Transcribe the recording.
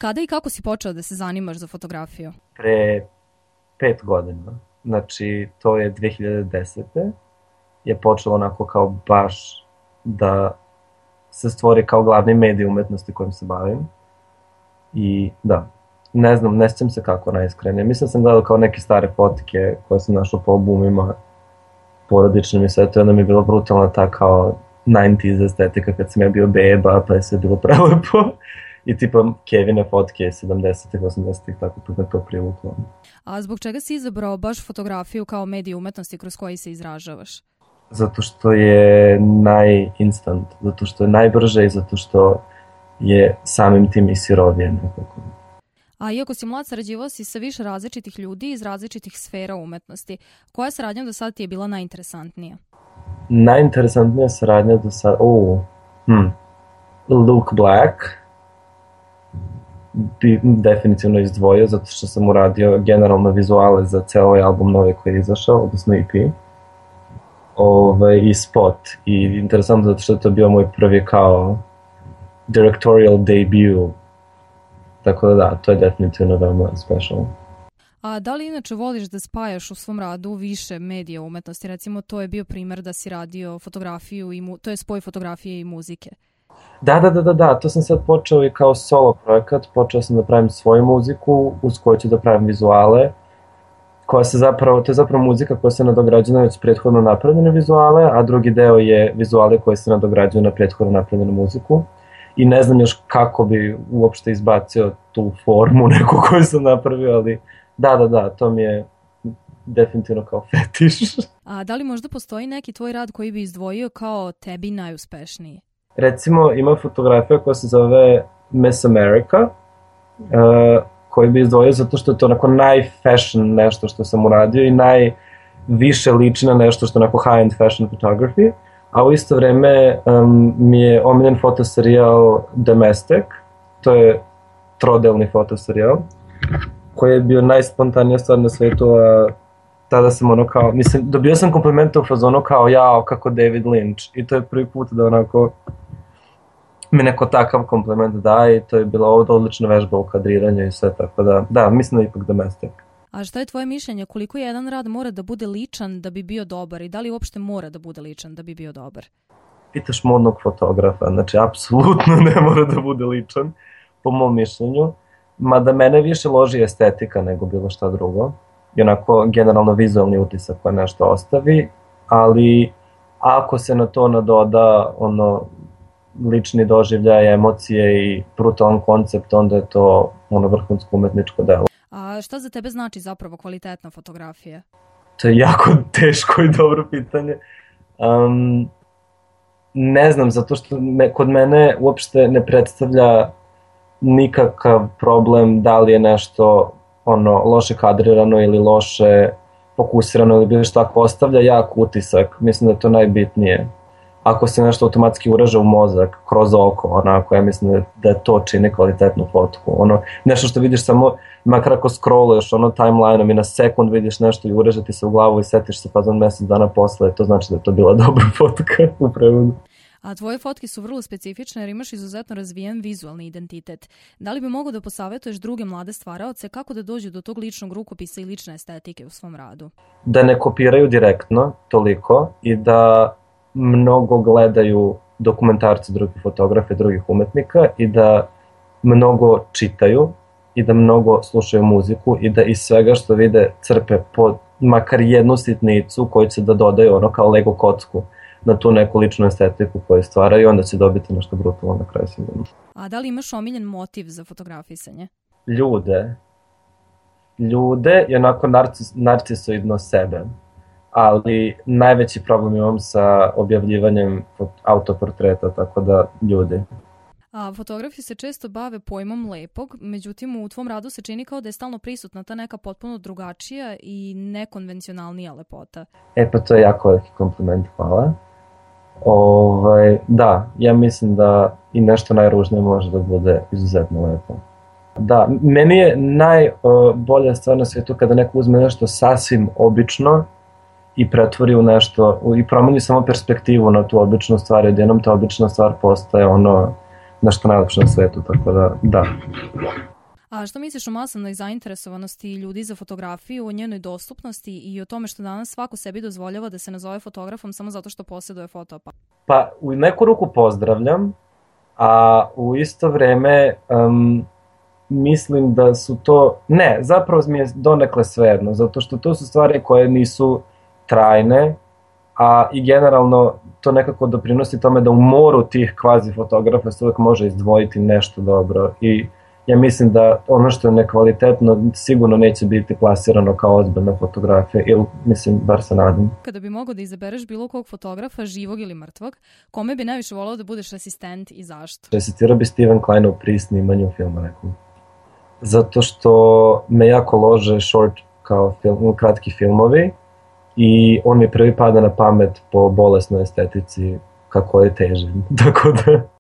Kada i kako si počeo da se zanimaš za fotografiju? Pre 5 godina. Znači, to je 2010. je počelo onako kao baš da se stvori kao glavni medij umetnosti kojim se bavim. I da, ne znam, ne sjećam se kako najiskrenije. Mislim sam gledao kao neke stare fotike koje sam našao po albumima porodičnim i sve to, onda mi je bila brutalna ta kao 90s estetika kad sam ja bio beba, pa je sve bilo prelepo. I tipa Kevine fotke 70-ih, 80-ih, tako to me to privuklo. A zbog čega si izabrao baš fotografiju kao medij umetnosti kroz koji se izražavaš? Zato što je najinstant, zato što je najbrže i zato što je samim tim i sirovije nekako. A iako si mlad, sarađivao si sa više različitih ljudi iz različitih sfera umetnosti. Koja saradnja do sada ti je bila najinteresantnija? Najinteresantnija saradnja do sada... Luke Black bi definitivno izdvojio, zato što sam uradio generalno vizuale za ceo ovaj album novi koji je izašao, odnosno EP. I spot. I interesantno zato što je to bio moj prvi kao directorial debut. Tako da, to je definitivno veoma special. A da li inače voliš da spajaš u svom radu više medija umetnosti? Recimo, to je bio primer da si radio fotografiju, to je spoj fotografije i muzike. Da, to sam sad počeo i kao solo projekat. Počeo sam da pravim svoju muziku, uz koju ću da pravim vizuale. To je zapravo muzika koja se nadograđuje na već prethodno napravljene vizuale, a drugi deo je vizuale koje se nadograđuju na prethodno napravljenu muziku. I ne znam još kako bi uopšte izbacio tu formu neku koju sam napravio, ali da, to mi je definitivno kao fetiš. A da li možda postoji neki tvoj rad koji bi izdvojio kao tebi najuspešniji? Recimo, ima fotografija koja se zove Miss America, koji bi izdvojio zato što je to onako najfashion nešto što sam uradio i najviše liči na nešto što je onako high-end fashion photography. A u isto vreme mi je omiljen fotoserijal Domestic, to je trodelni fotoserijal, koji je bio najspontanija stvar na svetu, a tada sam ono kao, mislim, dobio sam komplimente u fazonu kao jao, kako David Lynch, i to je prvi put da onako mi neko takav kompliment daje i to je bila odlična vežba u kadriranju i sve, tako da, mislim da je ipak Domestic. A šta je tvoje mišljenje, koliko jedan rad mora da bude ličan da bi bio dobar i da li uopšte mora da bude ličan da bi bio dobar? Pitaš modnog fotografa, znači apsolutno ne mora da bude ličan, po mom mišljenju, mada mene više loži estetika nego bilo šta drugo, i onako generalno vizualni utisak koja nešto ostavi, ali ako se na to nadoda lični doživljaj, emocije i brutalan koncept, onda je to vrhunsko umetničko delo. A šta za tebe znači zapravo kvalitetna fotografija? To je jako teško i dobro pitanje. Ne znam, zato što kod mene uopšte ne predstavlja nikakav problem da li je nešto loše kadrirano ili loše fokusirano ili bilo što, ako ostavlja jak utisak, mislim da je to najbitnije. Ako se nešto automatski uraže u mozak, kroz oko, onako, ja mislim da to čini kvalitetnu fotku. Nešto što vidiš samo, makar ako scrolluješ timeline-om i na sekund vidiš nešto i uraže ti se u glavu i setiš se fazon mesec dana posle, to znači da je to bila dobra fotka u prevodu. A tvoje fotke su vrlo specifične jer imaš izuzetno razvijen vizualni identitet. Da li bi mogao da posavetuješ druge mlade stvaraoce kako da dođu do tog ličnog rukopisa i lične estetike u svom radu? Da ne kopiraju direktno toliko i da mnogo gledaju dokumentarce drugih fotografa i drugih umetnika i da mnogo čitaju i da mnogo slušaju muziku i da iz svega što vide crpe po makar jednu sitnicu koju će da dodaju kao Lego kocku na tu neku ličnu estetiku koju stvaraju i onda će dobiti nešto brutalno na kraju sigurno. A da li imaš omiljen motiv za fotografisanje? Ljude i onako narcisoidno sebe. Ali najveći problem imam sa objavljivanjem autoportreta, tako da ljudi. A fotografi se često bave pojmom lepog, međutim u tvom radu se čini kao da je stalno prisutna ta neka potpuno drugačija i nekonvencionalnija lepota. Pa to je jako veliki kompliment, hvala. Da, ja mislim da i nešto najružnije može da bude izuzetno lepo. Da, meni je najbolja stvar na svijetu kada neko uzme nešto sasvim obično i pretvori u nešto, i promeni samo perspektivu na tu običnu stvar, odjednom ta obična stvar postaje nešto najlepše na svetu, tako da. A što misliš o masovnoj zainteresovanosti ljudi za fotografiju, o njenoj dostupnosti i o tome što danas svako sebi dozvoljava da se nazove fotografom samo zato što posjeduje fotoaparat? Pa u neku ruku pozdravljam, a u isto vreme mislim da su to... Ne, zapravo mi je donekle svejedno, zato što to su stvari koje nisu trajne, a i generalno to nekako doprinosi tome da u moru tih kvazi fotografa se uvek može izdvojiti nešto dobro i ja mislim da ono što je nekvalitetno sigurno neće biti plasirano kao ozbiljna fotografija, ili mislim, bar se nadam. Kada bi mogao da izabereš bilo kog fotografa, živog ili mrtvog, kome bi najviše volao da budeš asistent i zašto? Asistirao bi Steven Kleinu pri snimanju filma nekom. Zato što me jako lože short kao kratki filmovi i on mi prvi pada na pamet po bolesnoj estetici kako je teži. Tako da...